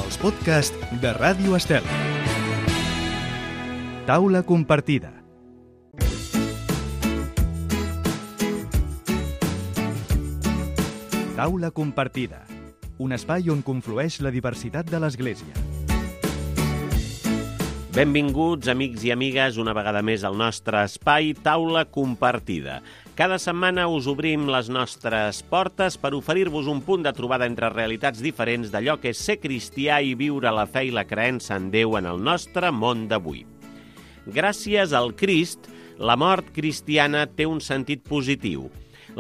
Els podcasts de Ràdio Estel. Taula compartida. Taula compartida. Un espai on conflueix la diversitat de l'Església. Benvinguts, amics i amigues, una vegada més al nostre espai Taula compartida. Cada setmana us obrim les nostres portes per oferir-vos un punt de trobada entre realitats diferents d'allò que és ser cristià i viure la fe i la creença en Déu en el nostre món d'avui. Gràcies al Crist, la mort cristiana té un sentit positiu.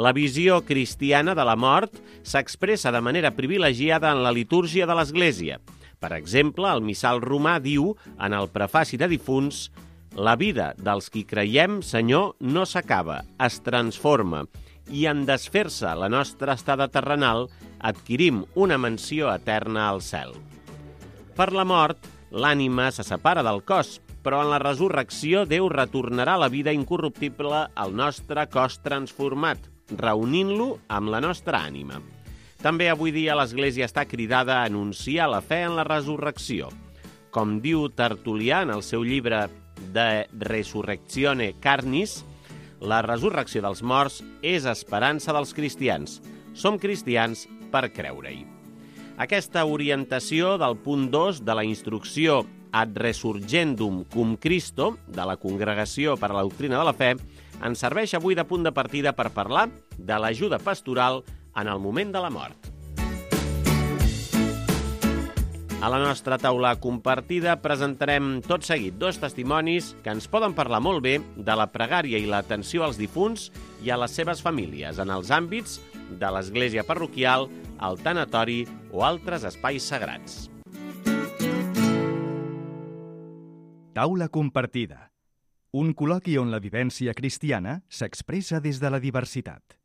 La visió cristiana de la mort s'expressa de manera privilegiada en la litúrgia de l'Església. Per exemple, el missal romà diu, en el prefaci de difunts, «La vida dels qui creiem, Senyor, no s'acaba, es transforma, i en desfer-se la nostra estada terrenal, adquirim una mansió eterna al cel». Per la mort, l'ànima se separa del cos, però en la resurrecció Déu retornarà la vida incorruptible al nostre cos transformat, reunint-lo amb la nostra ànima. També avui dia l'Església està cridada a anunciar la fe en la resurrecció. Com diu Tertulià en el seu llibre De Resurrectione Carnis, la resurrecció dels morts és esperança dels cristians. Som cristians per creure-hi. Aquesta orientació del punt 2 de la instrucció Ad Resurgendum cum Christo, de la Congregació per a la Doctrina de la Fe, ens serveix avui de punt de partida per parlar de l'ajuda pastoral en el moment de la mort. A la nostra taula compartida presentarem tot seguit dos testimonis que ens poden parlar molt bé de la pregària i l'atenció als difunts i a les seves famílies en els àmbits de l'església parroquial, el tanatori o altres espais sagrats. Taula compartida. Un col·loqui on la vivència cristiana s'expressa des de la diversitat.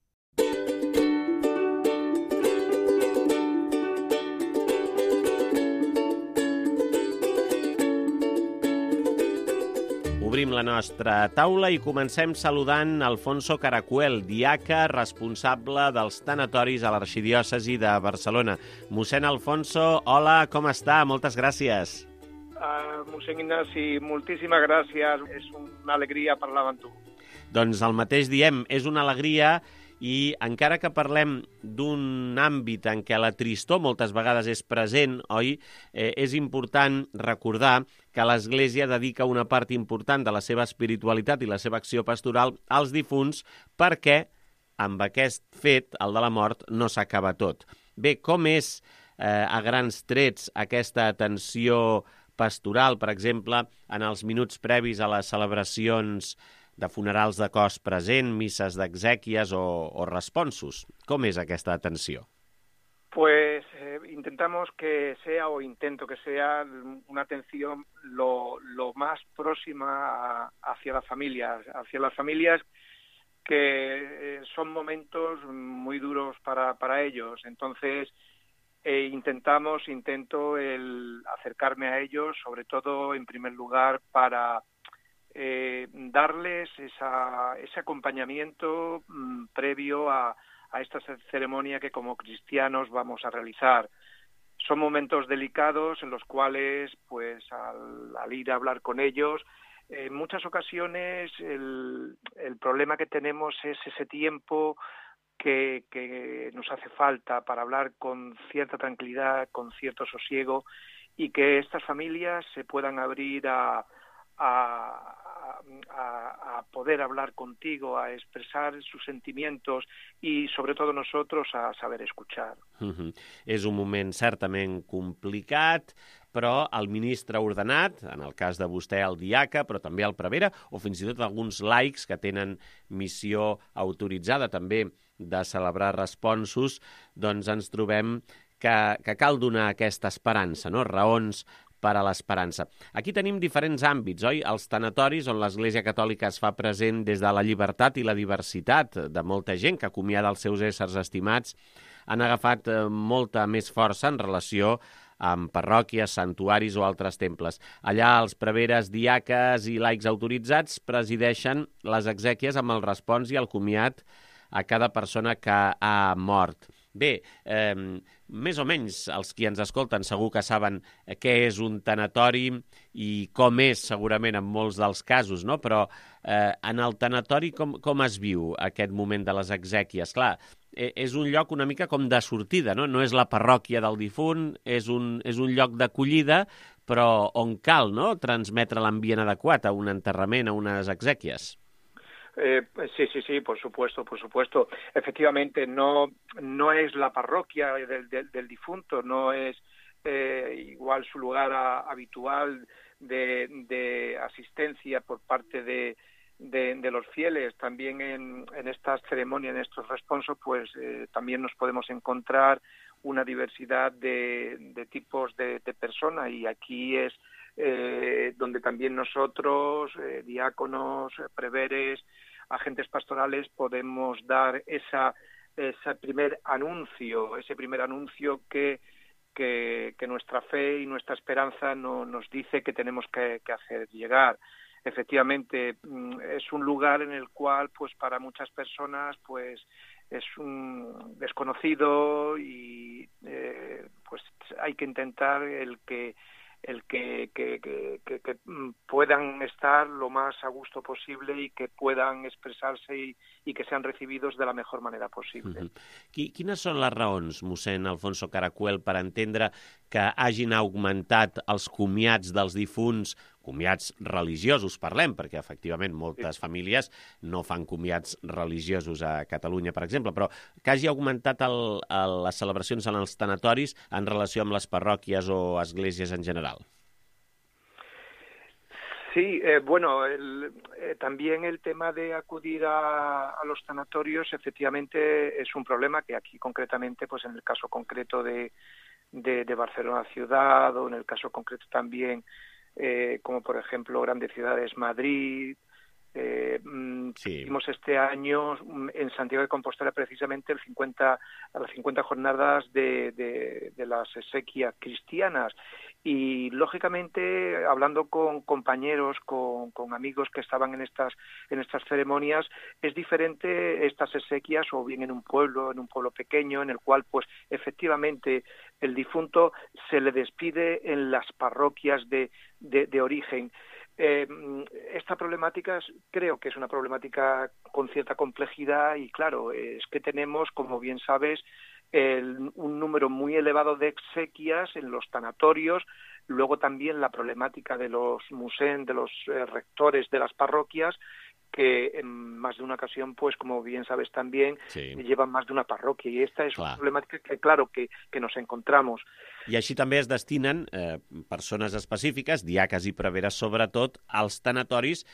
Obrim la nostra taula i comencem saludant Alfonso Caracuel, diaca responsable dels tanatoris a l'Arxidiòcesi de Barcelona. Mossèn Alfonso, hola, com està? Moltes gràcies. Mossèn Ignasi, moltíssimes gràcies. És una alegria parlar amb tu. Doncs el mateix diem, és una alegria i encara que parlem d'un àmbit en què la tristor moltes vegades és present, oi? És important recordar que l'Església dedica una part important de la seva espiritualitat i la seva acció pastoral als difunts perquè amb aquest fet, el de la mort, no s'acaba tot. Bé, com és a grans trets aquesta atenció pastoral, per exemple, en els minuts previs a les celebracions de funerals de cos present, misses d'exèquies o responsos? Com és aquesta atenció? Pues intentamos que sea, o intento que sea, una atención lo más próxima hacia las familias que son momentos muy duros para ellos. Entonces, intento el acercarme a ellos, sobre todo, en primer lugar, para darles ese acompañamiento previo a esta ceremonia que como cristianos vamos a realizar. Son momentos delicados en los cuales, pues, al ir a hablar con ellos, en muchas ocasiones el problema que tenemos es ese tiempo que nos hace falta para hablar con cierta tranquilidad, con cierto sosiego, y que estas familias se puedan abrir a poder hablar contigo, a expressar sus sentimientos i, sobretot, nosotros a saber escuchar. És un moment certament complicat, però el ministre ordenat, en el cas de vostè el diaca, però també el prevere, o fins i tot alguns laics que tenen missió autoritzada també de celebrar responsos, doncs ens trobem que cal donar aquesta esperança, no? Raons per a l'esperança. Aquí tenim diferents àmbits, oi? Els tanatoris, on l'Església Catòlica es fa present des de la llibertat i la diversitat de molta gent que acomiada els seus éssers estimats, han agafat molta més força en relació amb parròquies, santuaris o altres temples. Allà els preveres, diaques i laics autoritzats presideixen les exèquies amb el respons i el comiat a cada persona que ha mort. Bé, més o menys els qui ens escolten segur que saben què és un tanatori i com és segurament en molts dels casos, no? Però en el tanatori com es viu aquest moment de les exèquies? Clar, és un lloc una mica com de sortida, no? No és la parròquia del difunt, és un lloc d'acollida, però on cal, no?, transmetre l'ambient adequat a un enterrament, a unes exèquies. Sí, por supuesto. Efectivamente, no es la parroquia del difunto, no es igual su lugar habitual de asistencia por parte de los fieles. También en estas ceremonias, en estos responsos, pues también nos podemos encontrar una diversidad de tipos de personas, y aquí es donde también nosotros, diáconos, preveres, agentes pastorales, podemos dar ese primer anuncio que nuestra fe y nuestra esperanza nos dice que tenemos que hacer llegar. Efectivamente, es un lugar en el cual, pues para muchas personas, pues es un desconocido, y pues hay que intentar el que puedan estar lo más a gusto posible y que puedan expressar-se i que sean recibidos de la mejor manera possible. Quines són les raons, mossèn Alfonso Caracuel, per entendre que hagin augmentat els comiats dels difunts, comiats religiosos parlem, perquè efectivament moltes famílies no fan comiats religiosos a Catalunya, per exemple, però que hagi augmentat les celebracions en els tanatoris en relació amb les parròquies o esglésies en general? Sí, bueno, también el tema de acudir a los tanatorios efectivamente es un problema que aquí concretamente, pues en el caso concreto de Barcelona ciudad, o en el caso concreto también, como por ejemplo grandes ciudades, Madrid. Hicimos este año en Santiago de Compostela precisamente las 50 jornadas de las exequias cristianas, y lógicamente hablando con compañeros, con amigos que estaban en estas ceremonias, es diferente estas exequias o bien en un pueblo pequeño, en el cual pues efectivamente el difunto se le despide en las parroquias de origen. Esta problemática creo que es una problemática con cierta complejidad, y claro, es que tenemos, como bien sabes, un número muy elevado de exequias en los tanatorios. Luego también la problemática de los musén, de los rectores de las parroquias, que en más de una ocasión, pues como bien sabes también, llevan más de una parròquia, i esta és una problemàtica que, claro, que nos encontramos. I així també es destinen persones específiques, diaques i preveres sobretot, als tanatoris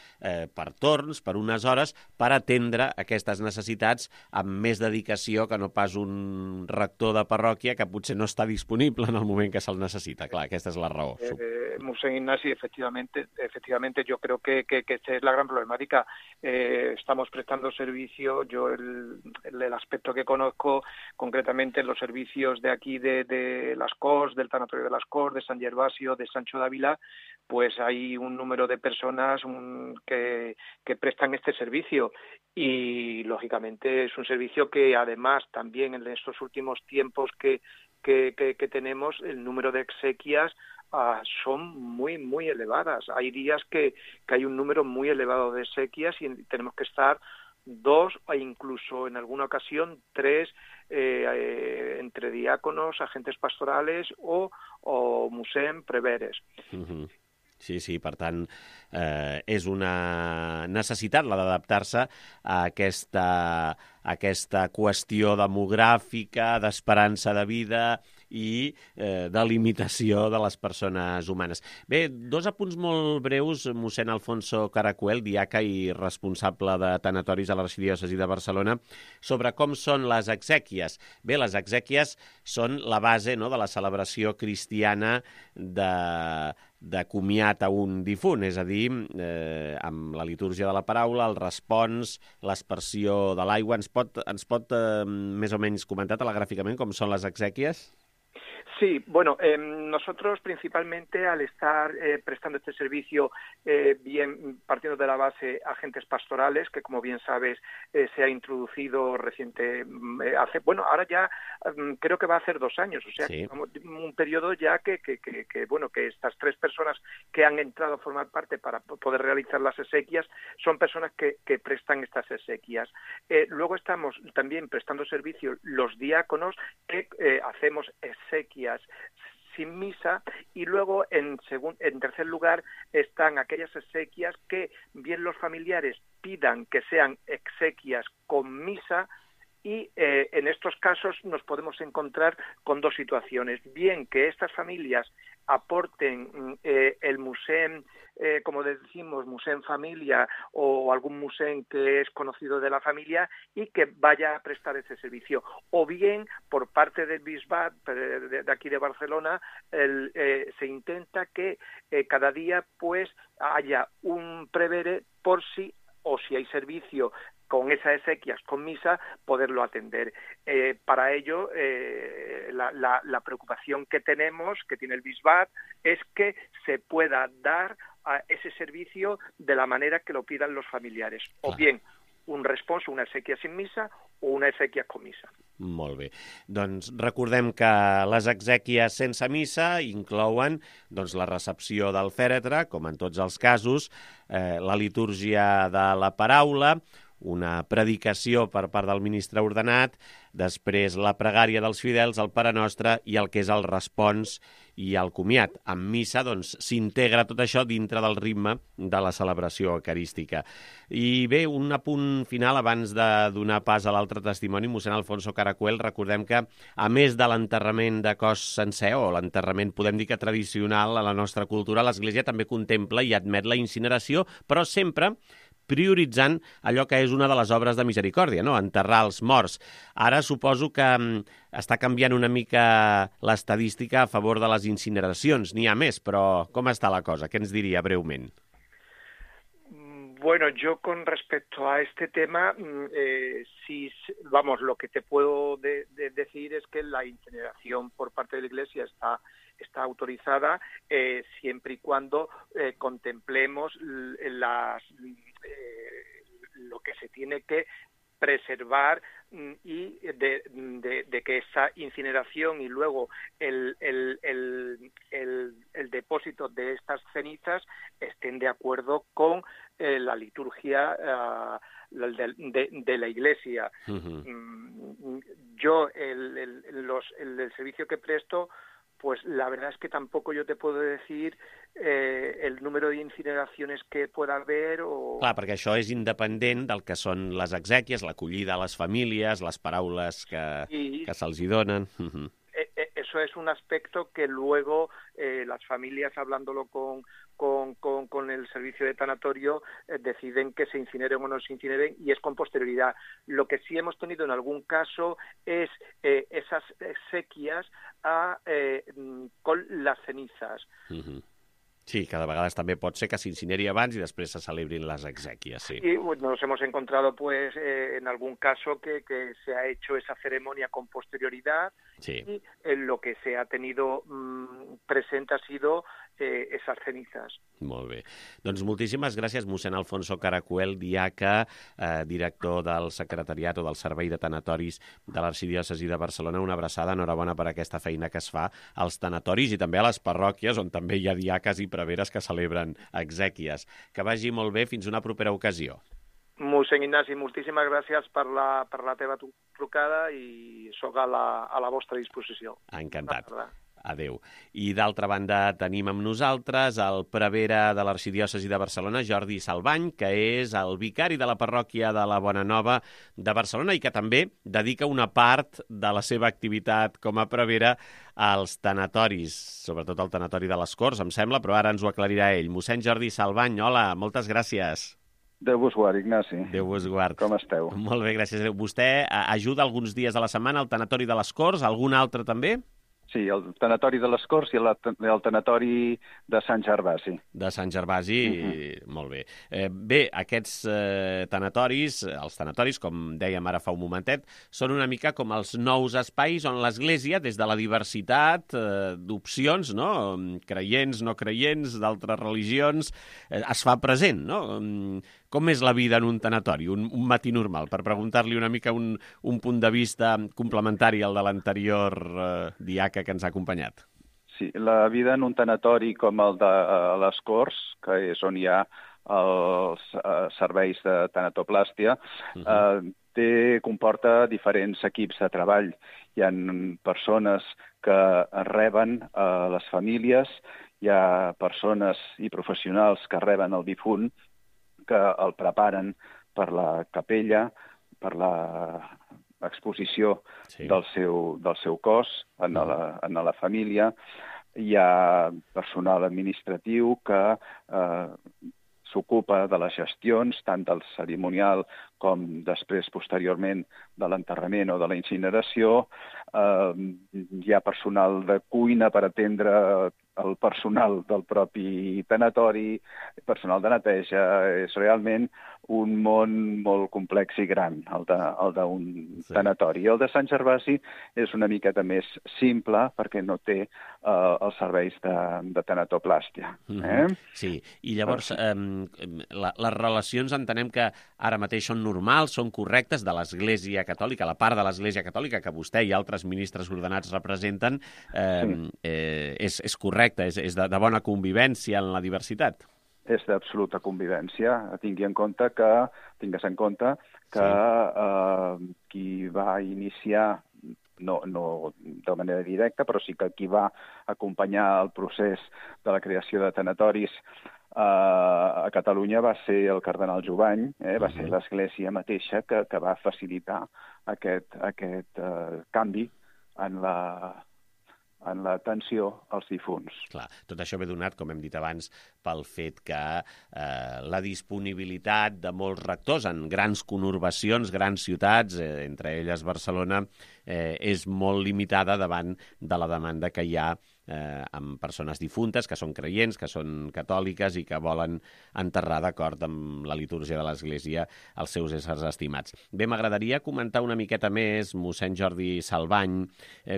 per torns, per unes hores, per atendre aquestes necessitats amb més dedicació que no pas un rector de parròquia que potser no està disponible en el moment que se'l necessita. Clar, aquesta és la raó. Mossèn Ignasi, efectivamente, yo creo que esta es la gran problemática. Estamos prestando servicio, yo el aspecto que conozco concretamente, los servicios de aquí de las Corts, del Tanatorio de las Corts, de San Gervasio, de Sancho de Ávila, pues hay un número de personas que prestan este servicio, y lógicamente es un servicio que además también en estos últimos tiempos que tenemos, el número de exequias son muy, muy elevadas. Hay días que hay un número muy elevado de exequias y tenemos que estar 2 e incluso en alguna ocasión 3 entre diáconos, agentes pastorales o musén, preveres. Sí, per tant, és una necessitat la d'adaptar-se a aquesta qüestió demogràfica, d'esperança de vida i de limitació de les persones humanes. Bé, 2 apunts molt breus, mossèn Alfonso Caracuel, diaca i responsable de tanatoris a l'arxidiòcesi de Barcelona, sobre com són les exèquies. Bé, les exèquies són la base, no?, de la celebració cristiana de comiat a un difunt, és a dir, amb la litúrgia de la paraula, el respons, l'aspersió de l'aigua. Ens pot més o menys comentar telegràficament com són les exèquies? Sí, bueno, nosotros principalmente al estar prestando este servicio, bien partiendo de la base agentes pastorales, que como bien sabes se ha introducido ahora ya creo que va a hacer 2 años, o sea, sí, un periodo ya que estas 3 personas que han entrado a formar parte para poder realizar las exequias son personas que prestan estas exequias. Luego estamos también prestando servicio los diáconos que hacemos exequias sin misa, y luego en tercer lugar están aquellas exequias que bien los familiares pidan que sean exequias con misa, y en estos casos nos podemos encontrar con 2 situaciones: bien que estas familias aporten el musén, como decimos, musén familia o algún musén que es conocido de la familia y que vaya a prestar ese servicio, o bien por parte del Bisbat de aquí de Barcelona se intenta que cada día pues haya un prevere por si hay servicio con esas exequias, con misa, poderlo atender. Para ello, la preocupación que tenemos, que tiene el Bisbat, es que se pueda dar a ese servicio de la manera que lo pidan los familiares. O bien un respons, una exequia sin missa, o una exequia con missa. Molt bé. Doncs recordem que les exèquies sense missa inclouen la recepció del fèretre, com en tots els casos, la litúrgia de la paraula, una predicació per part del ministre ordenat, després la pregària dels fidels, el Pare Nostre i el que és el respons i el comiat. En missa s'integra tot això dintre del ritme de la celebració eucarística. I bé, un apunt final abans de donar pas a l'altre testimoni, mossèn Alfonso Caracuel. Recordem que, a més de l'enterrament de cos sencer, o l'enterrament, podem dir que tradicional a la nostra cultura, l'Església també contempla i admet la incineració, però sempre prioritzant allò que és una de les obres de misericòrdia, no? Enterrar els morts. Ara suposo que està canviant una mica l'estadística a favor de les incineracions. N'hi ha més, però com està la cosa? Què ens diria breument? Bueno, yo con respecto a este tema, lo que te puedo decir es que la incineración por parte de la Iglesia está autorizada siempre y cuando contemplemos lo que se tiene que preservar y de que esa incineración y luego el depósito de estas cenizas estén de acuerdo con la liturgia de la Iglesia. Uh-huh. Yo el servicio que presto, pues la verdad es que tampoco yo te puedo decir el número d'incineracions que pueda haver o... Clar, perquè això és independent del que són les exèquies, l'acollida a les famílies, les paraules que se'ls hi donen. Uh-huh. Eso es un aspecto que luego las familias, hablándolo con el servicio de tanatorio, deciden que se incineren o no se incineren, y es con posterioridad. Lo que sí hemos tenido en algún caso es esas exequias con las cenizas. Uh-huh. Sí, que de vegades també pot ser que s'incineri abans i després se celebrin les exèquies, sí. Y nos hemos encontrado, pues, en algún caso que se ha hecho esa ceremonia con posterioridad, sí. Y lo que se ha tenido presente ha sido esas cenizas. Molt bé. Doncs moltíssimes gràcies, mossèn Alfonso Caracuel, diaca, director del secretariat o del Servei de Tanatoris de l'Arxidiòcesi de Barcelona. Una abraçada, enhorabona per aquesta feina que es fa als tanatoris i també a les parròquies, on també hi ha diaques i preveres que celebren exèquies. Que vagi molt bé, fins una propera ocasió. Mossèn Ignasi, moltíssimes gràcies per la teva trucada i soc a la vostra disposició. Encantat. Adéu. I d'altra banda tenim amb nosaltres el prevere de l'Arxidiòcesi de Barcelona, Jordi Salvany, que és el vicari de la parròquia de la Bona Nova de Barcelona i que també dedica una part de la seva activitat com a prevere als tanatoris, sobretot al tanatori de les Corts, em sembla, però ara ens ho aclarirà ell. Mossèn Jordi Salvany, hola, moltes gràcies. Déu vos guard, Ignasi. Déu vos guard. Com esteu? Molt bé, gràcies. Vostè ajuda alguns dies a la setmana al tanatori de les Corts, algun altre també? Sí, el tanatori de les Corts i el tanatori de Sant Gervasi. De Sant Gervasi, molt bé. Bé, aquests tanatoris, els tanatoris, com dèiem ara fa un momentet, són una mica com els nous espais on l'Església, des de la diversitat d'opcions, no? Creients, no creients, d'altres religions, es fa present, no? Com és la vida en un tanatori, un matí normal? Per preguntar-li una mica un punt de vista complementari al de l'anterior diaca que ens ha acompanyat. Sí, la vida en un tanatori com el de les Corts, que és on hi ha els serveis de tanatoplàstia, comporta diferents equips de treball. Hi ha persones que reben les famílies, hi ha persones i professionals que reben el difunt, que el preparen per la capella, per l'exposició del seu cos en la família. Hi ha personal administratiu que s'ocupa de les gestions, tant del cerimonial com després, posteriorment, de l'enterrament o de la incineració. Hi ha personal de cuina per atendre el personal del propi tanatori, personal de neteja. És realment un món molt complex i gran, el d'un tanatori. El de Sant Gervasi és una miqueta més simple perquè no té els serveis de tanatoplàstia. Sí, i llavors les relacions entenem que ara mateix són normals, són correctes de l'Església Catòlica, la part de l'Església Catòlica que vostè i altres ministres ordenats representen, és correcta, és de bona convivència en la diversitat. És d'absoluta convivència. Tingues en compte que qui va iniciar, no de manera directa, però sí que qui va acompanyar el procés de la creació de tanatoris a Catalunya va ser el cardenal Jovany, va ser l'Església mateixa que va facilitar aquest canvi en l'atenció als difunts. Clar, tot això ve donat, com hem dit abans, pel fet que la disponibilitat de molts rectors en grans conurbacions, grans ciutats, entre elles Barcelona, és molt limitada davant de la demanda que hi ha amb persones difuntes, que són creients, que són catòliques i que volen enterrar d'acord amb la litúrgia de l'Església els seus éssers estimats. Bé, m'agradaria comentar una miqueta més, mossèn Jordi Salvany,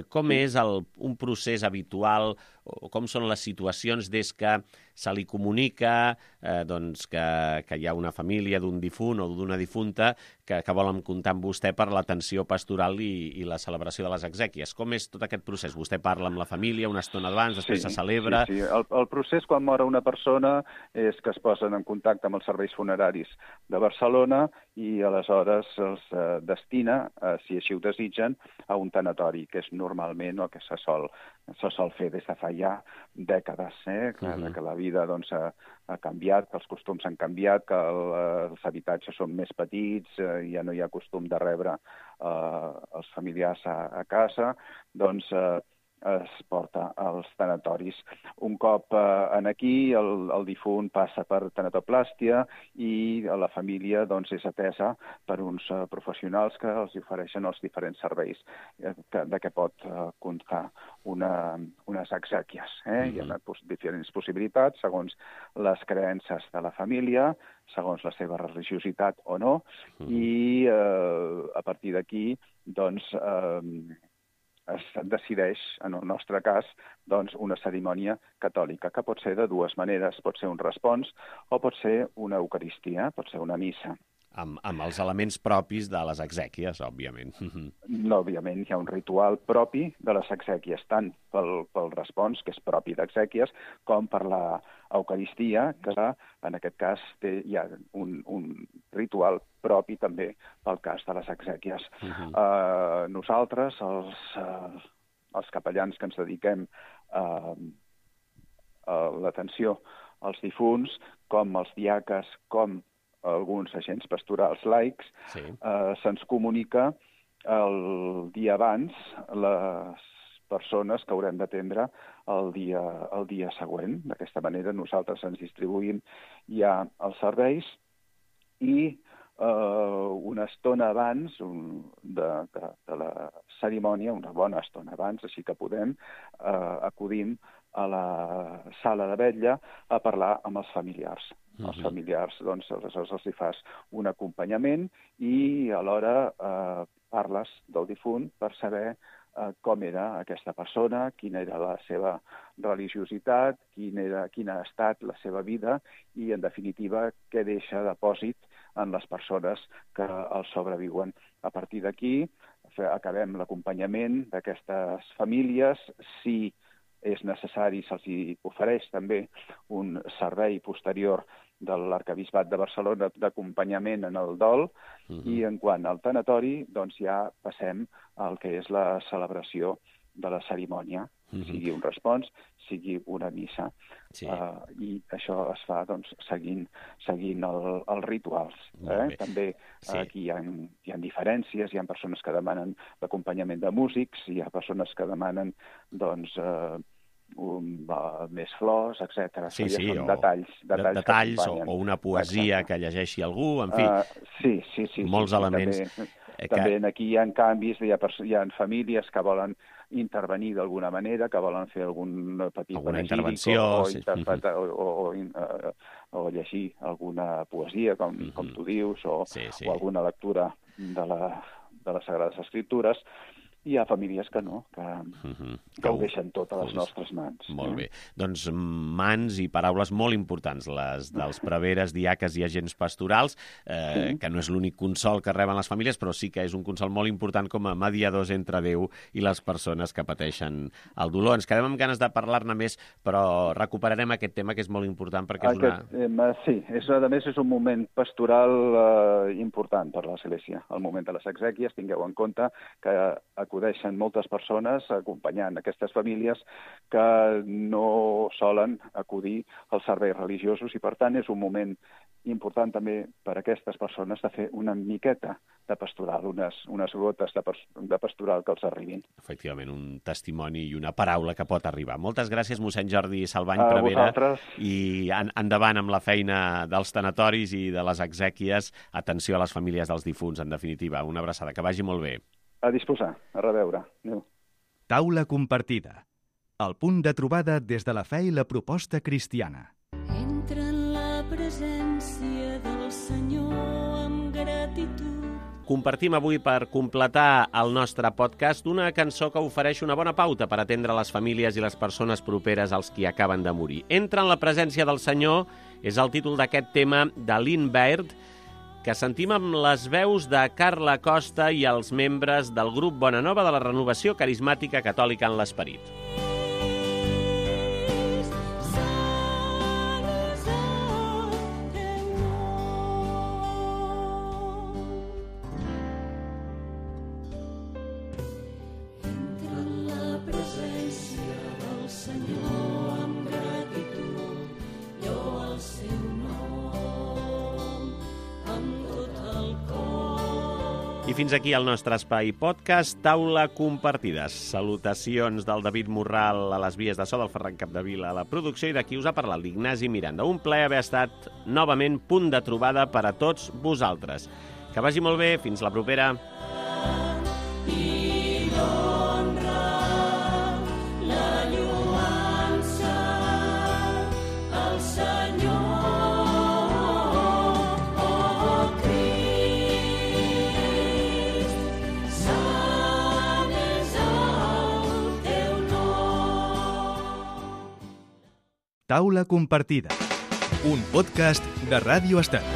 com és un procés habitual o com són les situacions des que se li comunica que hi ha una família d'un difunt o d'una difunta que volen comptar amb vostè per l'atenció pastoral i la celebració de les exèquies. Com és tot aquest procés? Vostè parla amb la família una estona abans, després se celebra... Sí. El procés quan mor una persona és que es posen en contacte amb els serveis funeraris de Barcelona i aleshores els destina, si així ho desitgen, a un tanatori, que és normalment el que se sol fer des de fa ja dècades, que la vida ha canviat, que els costums han canviat, que els habitatges són més petits, ja no hi ha costum de rebre els familiars a casa, doncs es porta als tanatoris. Un cop aquí, el difunt passa per tanatoplàstia i la família és atesa per uns professionals que els ofereixen els diferents serveis de què pot comptar unes exèquies. Hi ha diferents possibilitats segons les creences de la família, segons la seva religiositat o no, i a partir d'aquí, es decideix, en el nostre cas, una cerimònia catòlica, que pot ser de dues maneres. Pot ser un respons o pot ser una eucaristia, pot ser una missa. Amb els elements propis de les exèquies, òbviament. Òbviament, hi ha un ritual propi de les exèquies, tant pel respons, que és propi d'exèquies, com per la eucaristia, que en aquest cas hi ha un ritual propi també pel cas de les exèquies. Nosaltres, els capellans que ens dediquem a l'atenció als difunts, com els diaques, com alguns agents pastorals laics, se'ns comunica el dia abans les persones que haurem d'atendre el dia següent. D'aquesta manera nosaltres ens distribuïm ja els serveis i una estona abans de la cerimònia, una bona estona abans, així que podem, acudim a la sala de vetlla a parlar amb els familiars. Els familiars, doncs, aleshores els hi fas un acompanyament i alhora parles del difunt per saber com era aquesta persona, quina era la seva religiositat, quina ha estat la seva vida i, en definitiva, què deixa depòsit en les persones que el sobreviuen. A partir d'aquí, acabem l'acompanyament d'aquestes famílies. Si és necessari, se'ls ofereix també un servei posterior de l'Arquebisbat de Barcelona d'acompanyament en el dol, i en quant al tanatori, doncs ja passem al que és la celebració de la cerimònia, sigui un respons, sigui una missa. Sí. I això es fa doncs, seguint els rituals. També aquí hi ha diferències, hi ha persones que demanen l'acompanyament de músics, hi ha persones que demanen doncs, més flors, etc. Sí, són detalls o una poesia que llegeixi algú, en fi, molts elements. També aquí hi ha canvis, hi ha famílies que volen intervenir d'alguna manera, que volen fer alguna intervenció o llegir alguna poesia, com tu dius, o alguna lectura de les Sagrades Escriptures. Hi ha famílies que no, que ho deixen tot a les nostres mans. Molt bé. Doncs mans i paraules molt importants, les dels preveres, diaques i agents pastorals, que no és l'únic consol que reben les famílies, però sí que és un consol molt important com a mediadors entre Déu i les persones que pateixen el dolor. Ens quedem amb ganes de parlar-ne més, però recuperarem aquest tema que és molt important perquè és una... Sí, a més és un moment pastoral important per l'Església. El moment de les exèquies, tingueu en compte que acudeixen moltes persones acompanyant aquestes famílies que no solen acudir als serveis religiosos i, per tant, és un moment important també per a aquestes persones de fer una miqueta de pastoral, unes gotes de pastoral que els arribin. Efectivament, un testimoni i una paraula que pot arribar. Moltes gràcies, mossèn Jordi Salvany Prevera. I endavant amb la feina dels tanatoris i de les exèquies. Atenció a les famílies dels difunts, en definitiva. Una abraçada, que vagi molt bé. A disposar, a reveure. Adéu. Taula compartida. El punt de trobada des de la fe i la proposta cristiana. Entra en la presència del Senyor amb gratitud. Compartim avui, per completar el nostre podcast, una cançó que ofereix una bona pauta per atendre les famílies i les persones properes als qui acaben de morir. Entra en la presència del Senyor és el títol d'aquest tema de Lynn Baird, que sentim amb les veus de Carla Costa i els membres del grup Bona Nova de la Renovació Carismàtica Catòlica en l'Esperit. I fins aquí el nostre espai podcast Taula Compartida. Salutacions del David Morral a les vies de so, del Ferran Capdevila a la producció, i d'aquí us ha parlat l'Ignasi Miranda. Un plaer haver estat novament punt de trobada per a tots vosaltres. Que vagi molt bé, fins la propera. Taula compartida, un podcast de Ràdio Estat.